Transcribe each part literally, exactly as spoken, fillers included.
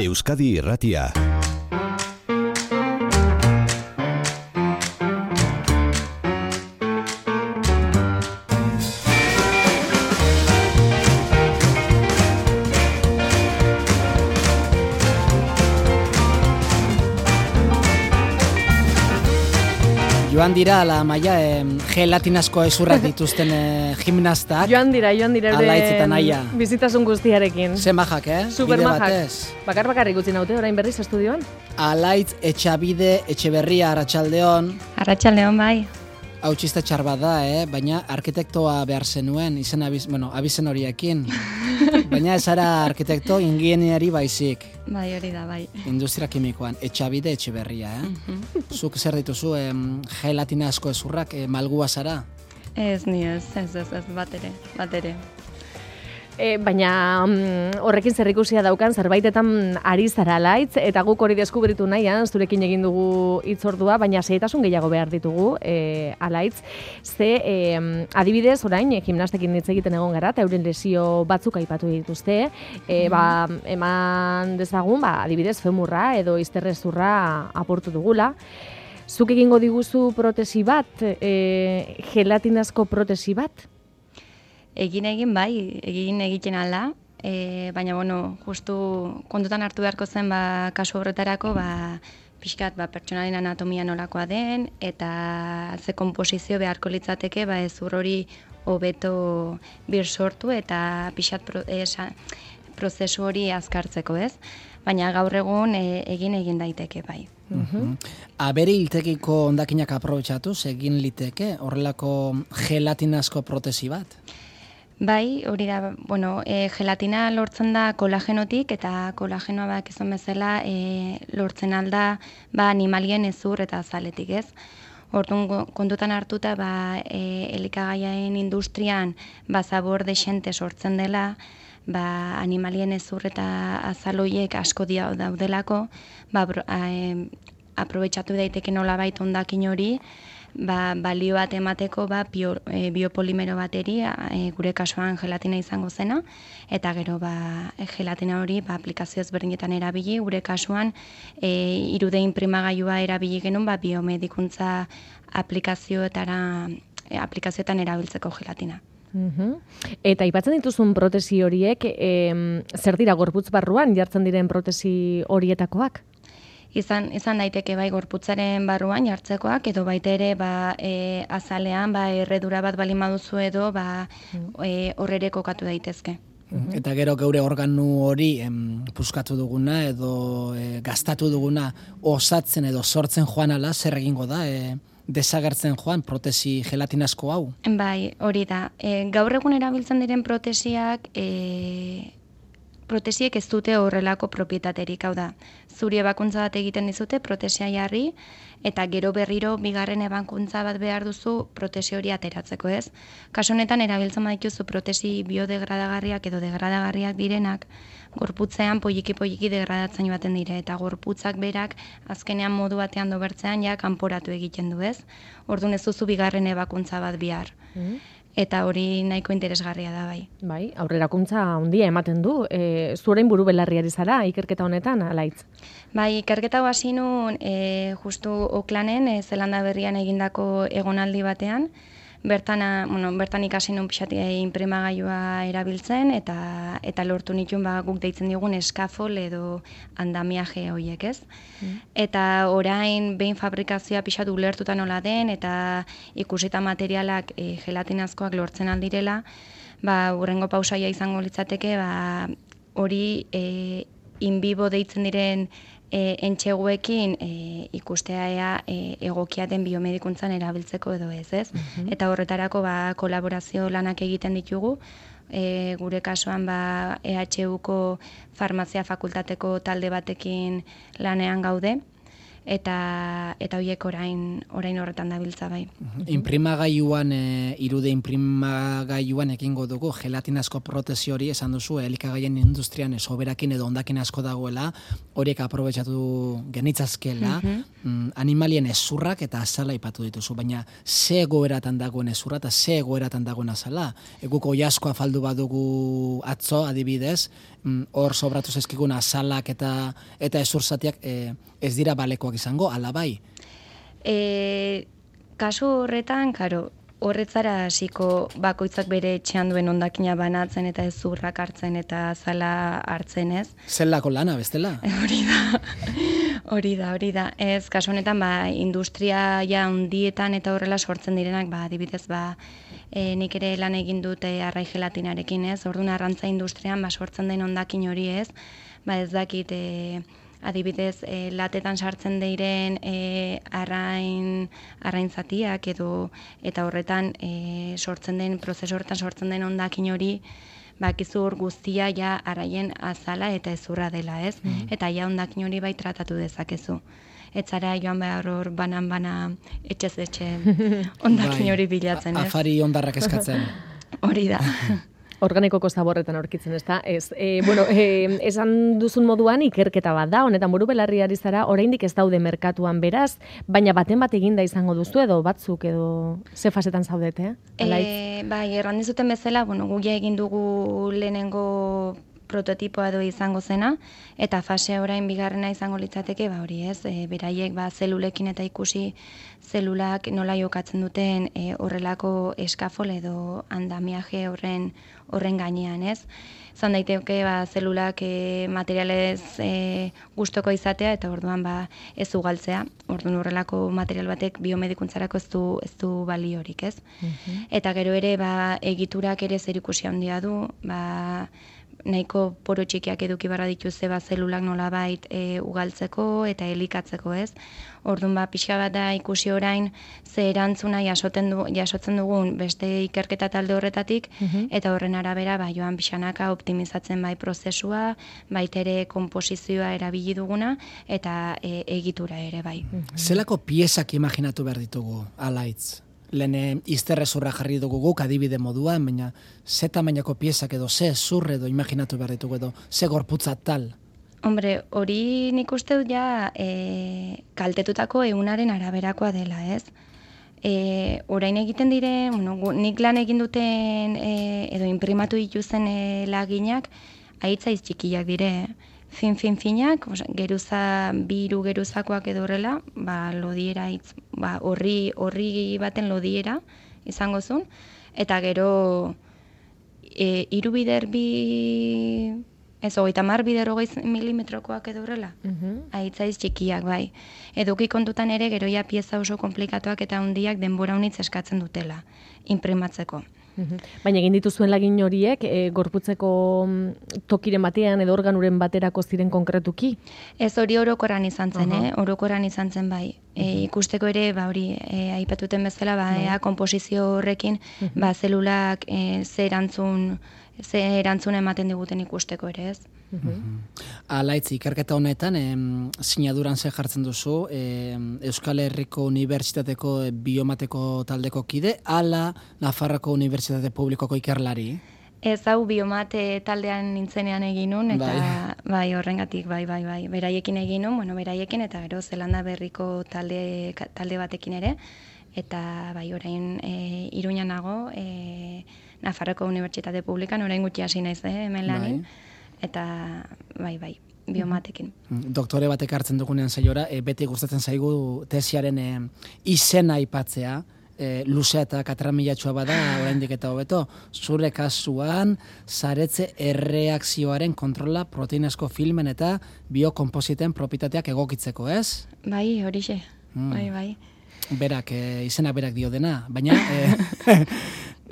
Euskadi Irratia. Joan dira, ala maia, eh, gelatinazko ezurrak dituzten eh, gimnastak. Joan dira, joan dira. Alaitz naia. Bizitasun guztiarekin. Zer majak, eh? Super majak. Bakar bakarrik utzi naute, orain berriz estudioan. Alaitz Etxabide Etxeberria Arratsaldeon. Arratsaldeon bai. Hau txiste txar bat da, eh? Baina arkitektoa behar zenuen, izen abiz, bueno, abizen horiekin. Baina ez ara arkitekto ingeniari baizik. Bai, hori da, bai. Industria kimikoan, Etxabide Etxeberria, eh? Uh-huh. Zuk zer dituzu, eh, gelatina asko ezurrak, eh, malgua zara? Ez, ni ez, ez, ez, ez, bat ere, bat ere. E, baina um, horrekin zerrikusia daukan zerbaitetan ari zara Alaitz, eta guk hori deskubritu nahian, zurekin egin dugu hitzordua, baina xehetasun gehiago behar ditugu e, Alaitz. Ze, e, adibidez, orain, e, gimnastekin hitz egiten egon gara, eta euren lesio batzuk aipatu dituzte, e, ba, eman dezagun, ba, adibidez, femurra edo izterrezurra apurtu dugula. Zuk egingo diguzu protesi bat, e, gelatinazko protesi bat? Egin egin bai, egin egiten alda, e, baina bueno, justu kontutan hartu beharko zen ba, kasu horretarako ba, pixkat ba, pertsonalen anatomia nolakoa den, eta ze komposizio beharko litzateke ba, ezur hori hobeto bir sortu eta pixkat pro, esa, prozesu hori azkartzeko, ez? Baina gaur egun e, egin egin daiteke bai. Uh-huh. Abere hiltekiko hondakinak aprobetxatuz egin liteke horrelako gelatinazko protesi bat? Bai, hori da, bueno, e, gelatina lortzen da kolagenotik, eta kolagenoa bak izan bezala e, lortzen alda ba, animalien ezur eta azaletik, ez? Orduan kontutan hartuta ba, e, elikagaiaen industrian ba, zabor dexente sortzen dela, ba, animalien ezur eta azaloiek asko dia daudelako, ba, e, aprobetxatu daiteke nolabait hondakin hori, ba, balio bat emateko ba, bio, e, biopolimero bateri, e, gure kasuan gelatina izango zena, eta gero ba, gelatina hori ba, aplikazio ezberdinetan erabili, gure kasuan e, irude inprimagailua erabili genuen ba, biomedikuntza aplikazioetara, e, aplikazioetan erabiltzeko gelatina. Uhum. Eta aipatzen dituzun protesi horiek, e, zer dira gorputz barruan jartzen diren protesi horietakoak? Izan, izan daiteke bai gorputzaren barruan jartzekoak, edo baita ere ba, e, azalean ba, erredura bat bali maduzu edo ba, e, horrere kokatu daitezke. Uh-huh. Eta gero geure organu hori em, puskatu duguna edo e, gastatu duguna osatzen edo sortzen joan ala, zer egingo da, e, desagertzen joan protesi gelatinazko hau? Bai, hori da. E, gaur egun erabiltzen diren protesiak... E, protesiek ez dute horrelako propietaterik, hau da. Zuri ebakuntza bat egiten dizute protesia jarri, eta gero berriro bigarren ebakuntza bat behar duzu protesi hori ateratzeko, ez? Kasu honetan erabiltzen badituzu protesi biodegradagarriak edo degradagarriak direnak, gorputzean poliki-poliki degradatzen baten dire, eta gorputzak berak azkenean modu batean dobertzean ja kanporatu egiten du, ez? Orduan ez duzu bigarren ebakuntza bat bihar. Mm. Eta hori nahiko interesgarria da, bai. Bai, aurrerakuntza handia ematen du. E, Zurein buru belarriari zara, ikerketa honetan, Alaitz? Bai, ikerketa hasi nun, e, justu Oklanen, e, Zelanda Berrian egindako egonaldi batean, bertan, bueno, bertan ikasi nun pixat inprimagailua erabiltzen, eta eta lortu nituen ba, guk deitzen digun eskafol edo andamiaje horiek, ez? Mm. Eta orain behin fabrikazioa pixat ulertuta nola den, eta ikusita materialak e, gelatinazkoak lortzen aldirela, ba, hurrengo pausaia izango litzateke, ba, hori e, in vivo deitzen diren E, entxeguekin e, ikustea ea e, egokiaten biomedikuntzan erabiltzeko edo ez, ez? Uh-huh. Eta horretarako ba, kolaborazio lanak egiten ditugu, e, gure kasuan ba, E H Uko farmazia fakultateko talde batekin lanean gaude, eta eta horiek orain orain horretan dabiltza bai. Inprimagailuan e, irude inprimagailuan ekingo dugu gelatinazko protesi hori esan duzu elikagaien industrian soberakin edo hondakin asko dagoela, horiek aprobetxatu genitzazkela, mm, animalien ezurrak eta azala ipatu dituzu, baina ze egoeratan dagoen ezurra eta ze egoeratan dagoen azala. Eguko oiazko afaldu badugu atzo adibidez, hor sobratu zezkigun azalak eta eta ezurzatiak e, ez dira balekoak izango, ala bai? E, kasu horretan, karo, horretzara hasiko bakoitzak bere etxean duen hondakina banatzen eta ezurrak hartzen eta azala hartzen ez. Zelako lana, bestela? Hori da, hori da, hori da. Ez, kasu honetan, ba, industria ja handietan eta horrela sortzen direnak, ba, adibidez, ba, e, nik ere lan egin dute arrai gelatinarekin ez, orduan arrantza industrian, ba, sortzen den hondakin hori ez, ba, ez dakit, e, adibidez, e, latetan sartzen diren e, arrain, arrain zatiak edo, eta horretan e, sortzen den, prozesu horretan sortzen den hondakin hori, bakizu hor guztia ja araien azala eta ezurra dela, ez? Mm. Eta ja hondakin hori bai tratatu dezakezu. Ez zara joan behar hor banan-bana etxez etxe hondakin hori bilatzen, ez? Afari hondarrak eskatzen. Hori da. Organikoko zaborretan aurkitzen, ez da? Ez, e, bueno, e, esan duzun moduan ikerketa bat da, honetan buru belarri ari zara, oraindik ez daude merkatuan beraz, baina baten bat eginda izango duzu edo batzuk edo ze fasetan zaudete, eh? E, bai, erran dizuten bezala, bueno, gu ja egin dugu lehenengo prototipoa edo izango zena, eta fase orain bigarrena izango litzateke, ba hori ez, e, beraiek ba zelulekin eta ikusi zelulak nola jokatzen duten e, horrelako eskafol edo andamiaje horren horren gainean, ez? Zan daiteke ba zelulak e, materialez e, gustoko izatea eta orduan ba ez ugaltzea. Orduan horrelako material batek biomedikuntzarako ez du ez du baliorik, ez? Uh-huh. Eta gero ere ba egiturak ere zerikusi handia du, ba nahiko poro txikiak eduki barra dituzte ba zelulak nolabait e, ugaltzeko eta elikatzeko, ez? Orduan ba pixka bat da ikusi orain ze erantzuna jasoten du, jasotzen dugun beste ikerketa talde horretatik, uh-huh. eta horren arabera ba joan pixanaka optimizatzen bai prozesua, baita ere konposizioa erabili duguna eta e, egitura ere bai. Uh-huh. Zelako piezak imaginatu behar ditugu alaitz? Lehen izterrezurra jarri dugu guk adibide moduan, baina ze tamainako piezak edo ze zurre edo imaginatu behar ditugu edo ze gorputza tal? Hombre, hori nik uste dut ja e, kaltetutako ehunaren araberakoa dela, ez? E, orain egiten diren, bueno, nik lan egin duten e, edo inprimatu dituzen e, laginak, aitzaiz txikiak dire, fin fin finak, geruza biru geruzakoak edo horrela, ba lodiera hitz, ba horri horri baten lodiera izango zuen, eta gero e, hiru bider bi ez hogeita hamar bider hogei milimetrokoak edo horrela. Uh-huh. Aitzaiz txikiak bai. Eduki kontutan ere gero ja pieza oso komplikatuak eta handiak denbora unitz eskatzen dutela inprimatzeko. Uhum. Baina egin dituzuen lagin horiek e, gorputzeko tokiren batean edo organuren baterako ziren konkretuki? Ez hori orokoran izan zen, uh-huh. eh? Orokoran izan zen bai. E, ikusteko ere, ba hori, e, aipatuten bezala, ba, ea komposizio horrekin, uh-huh. ba, zelulak e, ze erantzun, ze erantzun ematen diguten ikusteko ere, ez? Uh-huh. Alaitz, ikerketa honetan, em, sinaduran ze jartzen duzu, em, Euskal Herriko Unibertsitateko biomateko taldeko kide, ala Nafarroko Unibertsitate Publikoko ikerlari? Ez hau biomate taldean nintzenean egin nun, eta bai, bai horrengatik, bai, bai, bai, beraiekin egin nun, bueno, beraiekin, eta gero Zelanda Berriko talde, talde batekin ere, eta bai, orain e, Iruñan nago, e, Nafarroko Unibertsitate Publikan, orain gutxi hasi naiz, eh, hemen lanin, bai. Eta bai, bai, biomatekin. Doktore batek hartzen dugunean saiora, e, beti gustatzen zaigu tesiaren e, izena aipatzea, e, luzea eta katramilatxua bada, oraindik eta hobeto, zure kasuan, saretze erreakzioaren kontrola proteinazko filmen eta biokompositen propietateak egokitzeko, ez? Bai, horixe, mm. bai, bai. Berak, e, izena berak dio dena, baina... E,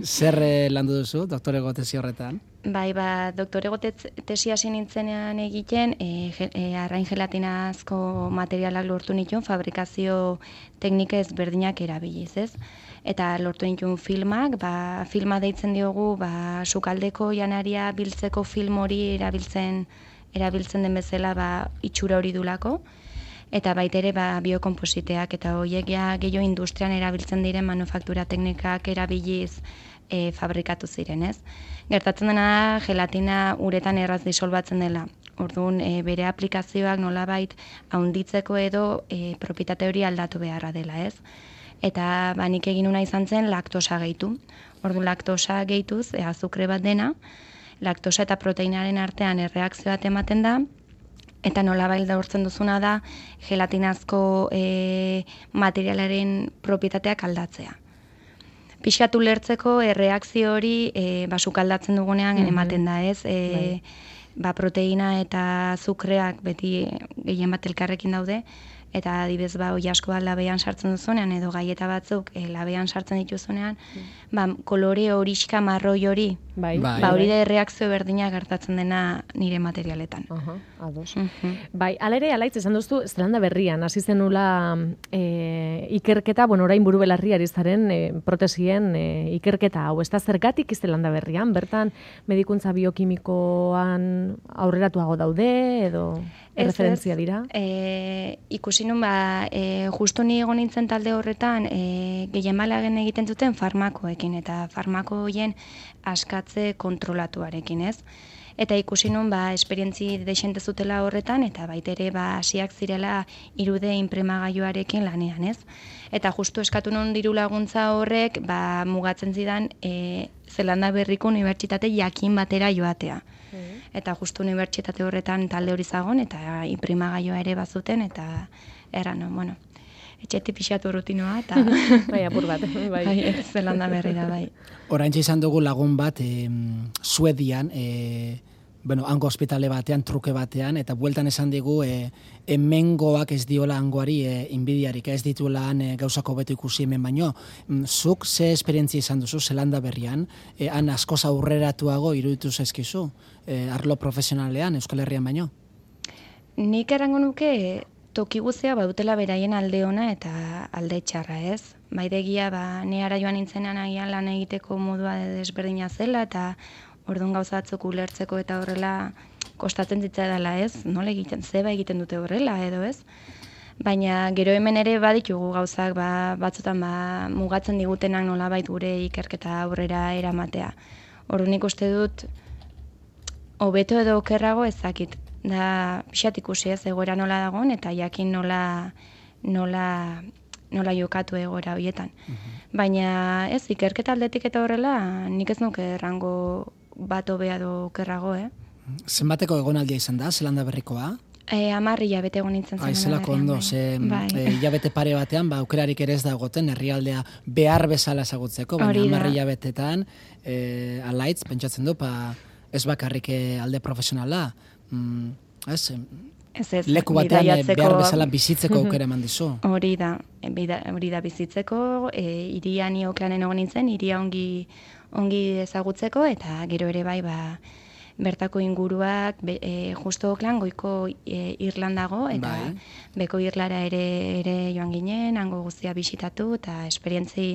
zer landu duzu, doktorego tesi horretan? Bai, ba, doktorego tesi hasi nintzenean egiten, e, e, arrain gelatinazko materialak lortu nituen, fabrikazio teknika ezberdinak erabiliz, ez? Eta lortu nituen filmak, ba, filma deitzen diogu, ba, sukaldeko janaria biltzeko film hori erabiltzen, erabiltzen den bezala, ba, itxura hori dulako. eta baitere ba, biokompositeak eta horiek ja gehiago industrian erabiltzen diren manufaktura teknikak erabiliz e, fabrikatu ziren, ez? Gertatzen dena da, gelatina uretan erraz disolbatzen dela. Orduan, e, bere aplikazioak nolabait haunditzeko edo e, propietate hori aldatu beharra dela, ez? Eta ba, nik egin una izan zen laktosa gehitu. Orduan, laktosa gehituz, e, azukre bat dena, laktosa eta proteinaren artean erreakzio bat ematen da, eta nolabait daurtzen duzuna da gelatinazko e, materialaren propietateak aldatzea. Pixkatu lertzeko erreakzio hori e, basuk aldatzen dugunean mm-hmm. ematen da, ez? E, ba, proteina eta azukreak beti gehien bat elkarrekin daude, eta adibez ba oi asko bat labean sartzen duzunean edo gaieta batzuk e, labean sartzen dituzunean, mm. ba, kolore horixka marroi hori, bai. ba hori da erreakzio berdina gertatzen dena nire materialetan. Aha, ados. Uh-huh. Bai, alere alaitz esan duzu Zelanda Berrian hasi zenula e, ikerketa, bueno, orain buru belarri ari zaren e, protesien e, ikerketa hau, ez da zergatik Zelanda Berrian, bertan medikuntza biokimikoan aurreratuago daude edo referentzia dira? E, ikusi nun, ba, e, justu ni egon nintzen talde horretan, e, gehien balagen egiten zuten farmakoekin, eta farmako horien askatze kontrolatuarekin, ez? Eta ikusi nun, ba, esperientzi desente zutela horretan, eta baitere, ba, hasiak zirela irude inpremagailuarekin lanean, ez? Eta justu eskatu nun diru laguntza horrek, ba, mugatzen zidan, e, Zelanda Berriko unibertsitate jakin batera joatea. Eta justu unibertsitate horretan talde hori zagon, eta inprimagailua ere bazuten, eta erran, bueno, etxetik pixatu rutinoa, eta bai, apur bat, bai. Bai, Zelanda Berrira, bai. Oraintxe izan dugu lagun bat, e, Suedian, e, bueno, hango ospitale batean, truke batean, eta bueltan esan digu, e, hemengoak ez diola hangoari e, inbidiarik, ez dituela han e, gauzako beto ikusi hemen baino. Zuk ze esperientzia izan duzu Zelanda Berrian, e, han askoz aurreratuago iruditu zaizkizu, e, arlo profesionalean, Euskal Herrian baino? Nik erango nuke toki guztia badutela beraien alde ona eta alde txarra, ez? Baidegia, ba, ni ara joan nintzenean agian lan egiteko modua desberdina zela, eta orduan gauza batzuk ulertzeko eta horrela kostatzen zitzaidala, ez? Nola egiten, zeba egiten dute horrela, edo ez? Baina gero hemen ere baditugu gauzak, ba, batzutan ba, mugatzen digutenak nolabait gure ikerketa aurrera eramatea. Orduan ikuste dut, hobeto edo okerrago ezakit. Da, pixat ikusi ez egoera nola dagoen, eta jakin nola, nola, nola jokatu egoera horietan. Uh-huh. Baina ez, ikerketa aldetik eta horrela, nik ez nuke errango bat hobea edo okerrago, eh? Zenbateko egonaldia izan da, Zelanda Berrikoa? E, Amar hilabete egon nintzen zen. Aizelako ondo, bai. ze bai. e, hilabete pare batean, ba, aukerarik ere ez da egoten, herrialdea behar bezala ezagutzeko, baina amar hilabetetan, e, alaitz, pentsatzen du, pa, ez bakarrik alde profesionala, mm, ez, ez, ez, leku batean bidaiatzeko, behar bezala bizitzeko aukera eman dizu. Hori da, hori da bizitzeko, e, iria ni Oklanen egon nintzen, iria ongi, ongi ezagutzeko, eta gero ere bai, ba, bertako inguruak, be, e, justo Oklan goiko e, Irlandago, eta bai. Beko Irlara ere, ere joan ginen, hango guztia bisitatu, eta esperientzi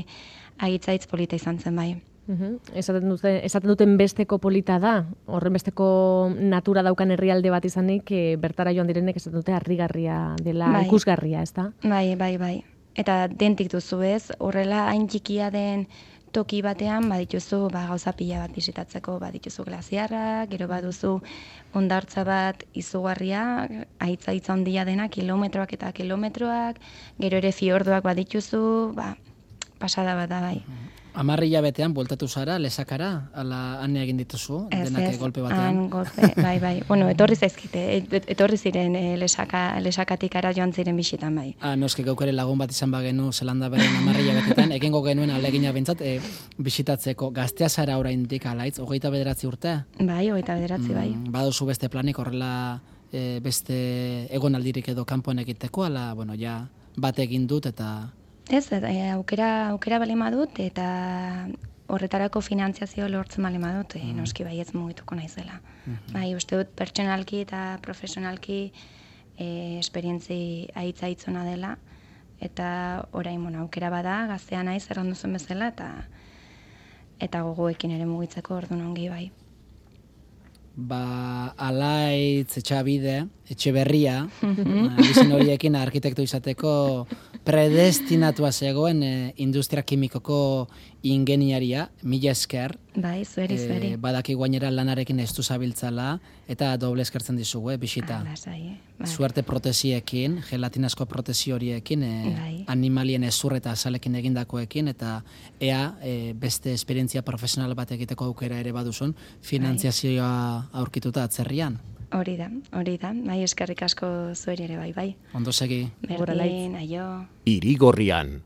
agitzaitz polita izan zen bai. Uhum. Esaten, dute, esaten duten besteko polita da, horren besteko natura daukan herrialde bat izanik, e, bertara joan direnek esaten dute harrigarria dela, bai. Ikusgarria, ez da? Bai, bai, bai. Eta dentik duzu ez, horrela hain txikia den toki batean, badituzu ba, gauza pila bat bisitatzeko, badituzu glaziarrak, gero baduzu hondartza bat izugarria, aitza-aitza handia dena, kilometroak eta kilometroak, gero ere fiordoak badituzu, ba, pasada bat da bai. Amarri hilabetean bueltatu zara, lesakara, ala ane egin dituzu, ez, denak ez, golpe batean? Ez, golpe, bai, bai. Bueno, etorri zaizkite, etorri ziren e, lesaka, lesakatik ara joan ziren bisitan, bai. Ah, noski gaukere lagun bat izan bagenu Zelanda Berrian amarri hilabetetan, egingo genuen alegina bintzat, e, bisitatzeko gaztea zara oraindik alaitz, hogeita bederatzi urte? Bai, hogeita bederatzi, bai. Mm, baduzu beste planik horrela e, beste egonaldirik edo kanpoan egiteko, ala, bueno, ja, bat egin dut eta... Ez, aukera, aukera bali madut, eta horretarako finantziazio lortzen bali madut, mm. noski bai ez mugituko naizela. Mm-hmm. Bai, uste dut pertsonalki eta profesionalki e, esperientzi aitza-aitzona dela, eta orain bueno, aukera bada, gaztea naiz errandu zuen bezala, eta eta gogoekin ere mugitzeko orduan ongi bai. ba, Alaitz, Etxabide, Etxeberria, bizin horiekin arkitekto izateko predestinatua zegoen e, industria kimikoko ingeniaria, mila esker. Bai, zueri, zueri. E, badaki guainera lanarekin ez du zabiltzala, eta doble eskertzen dizugu, eh, bisita. Lasai, eh? Bai. Suerte protesiekin, gelatinazko protesi horiekin, e, Bai. animalien ezur eta azalekin egindakoekin, eta ea e, beste esperientzia profesional bat egiteko aukera ere baduzun, finantziazioa aurkituta atzerrian. Hori da, hori da. Bai, eskerrik asko zueri ere bai, bai. Ondo segi. Berdin, aio. Irigorrian,